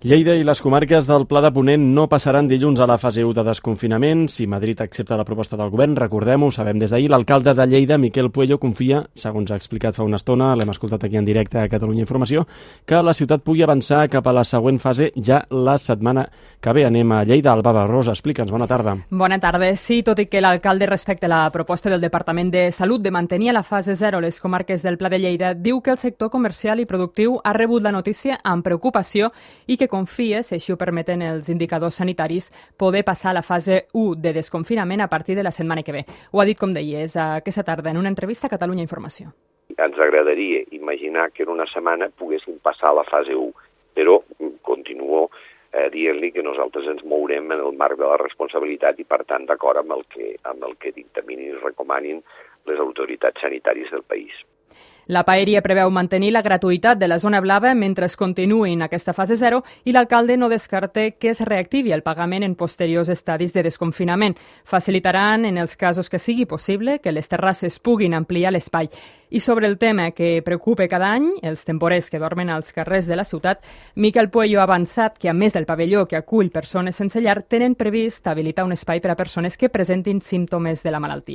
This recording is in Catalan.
Lleida i les comarques del Pla de Ponent no passaran dilluns a la fase 1 de desconfinament. Si Madrid accepta la proposta del govern, recordem-ho, sabem des d'ahir, l'alcalde de Lleida, Miquel Puello, confia, segons ha explicat fa una estona, l'hem escoltat aquí en directe a Catalunya Informació, que la ciutat pugui avançar cap a la següent fase ja la setmana que ve. Anem a Lleida. Alba Barrosa, explica'ns. Bona tarda. Bona tarda. Sí, tot i que l'alcalde respecte la proposta del Departament de Salut de mantenir a la fase 0 les comarques del Pla de Lleida, diu que el sector comercial i productiu ha rebut la notícia amb preocupació i que confia, si així ho permeten els indicadors sanitaris, poder passar a la fase 1 de desconfinament a partir de la setmana que ve. Ho ha dit, com deies, aquesta tarda en una entrevista a Catalunya Informació. Ens agradaria imaginar que en una setmana poguéssim passar a la fase 1, però continuo dient-li que nosaltres ens mourem en el marc de la responsabilitat i, per tant, d'acord amb el que dictaminin i recomanin les autoritats sanitàries del país. La Paeria preveu mantenir la gratuïtat de la zona blava mentre es continuï en aquesta fase 0 i l'alcalde no descarta que es reactivi el pagament en posteriors estadis de desconfinament. Facilitaran, en els casos que sigui possible, que les terrasses puguin ampliar l'espai. I sobre el tema que preocupa cada any, els temporers que dormen als carrers de la ciutat, Miquel Puello ha avançat que, a més del pavelló que acull persones sense llar, tenen previst habilitar un espai per a persones que presentin símptomes de la malaltia.